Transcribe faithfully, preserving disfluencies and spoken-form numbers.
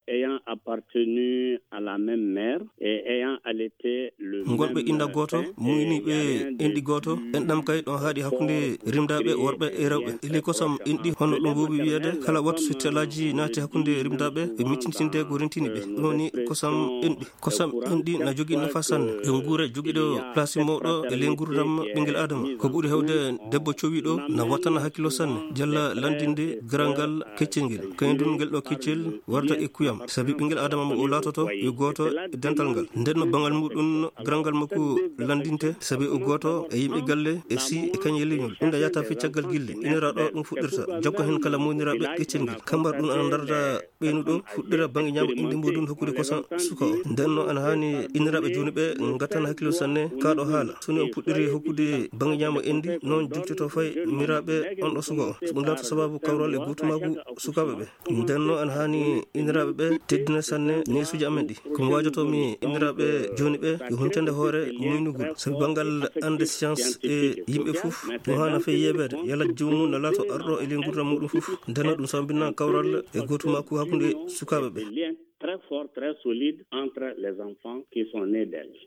ayant appartenu à la même mère et ayant allaité le Ngolɓe même innda gooto, sein, muyniiɓe et il y a rien de enɗi gooto, plus enɗam kay ɗon haaɗi hakkunde rimdaaɓe worɓe e rewɓe. Ili kosam enɗi hono ɗum woowi wiyeede, kala wattu so telaaji naati hakkunde rimdaaɓe, ɓe miccintinde ko rentini ɓe. Ɗum woni kosam enɗi. Kosam enɗi na jogii nafa sanne. Yo nguure jogiiɗo place mawɗo e ley nguurndam ɓinngel Aadama. Ko ɓuri heewde debbo cowiiɗo na wattana hakkilo sanne. Jalla lanndinde garal ngal keccel ngel. Kañum ngel ɗo keccel warta e kuyam. Sabi ɓinngel Aadama mo o laatoto yo gooto e dental ngal. Nden no baŋal muɗum garal ngal makko lanndinte. Sabi o gooto e yimɓe galle e si e kañum e leñol. Ɗum da yata fii caggal gille. Iniraaɗo ɗum fuɗɗirta. Jokka heen kala mowniraaɓe keccel ngel. Kambar ɗum ana ndarda ɓeynuɗo fuɗɗira baŋnge ñaamo enɗi muɗum hokkude kosam suka o. Nden no ana haani inniraaɓe jooni ɓe ngattana hakkilo sanne kaaɗo haala. So ni on puɗɗiri hokkude baŋnge ñaamo enɗi, noon joktoto fay miraaɓe on ɗo suka o. So ɗum laato sababu kawral e gootumaagu sukaaɓe ɓe. Nden no ana haani inniraaɓe ɓe teddina sanne neesuuji amen ɗi. Ko mi waajoto mi inniraaɓe jooni ɓe yo huncande hoore muynugol. Sabi banngal annde science e yimɓe fof, ɗum haana fay yeeɓeede. Yala joomum na laato arɗo e ley nguurndam muɗum fof. Nden no ɗum sambina kawral e gootumaagu hakkunde sukaaɓe ɓe. Des liens très forts, très solides entre les enfants qui sont nés d'elle.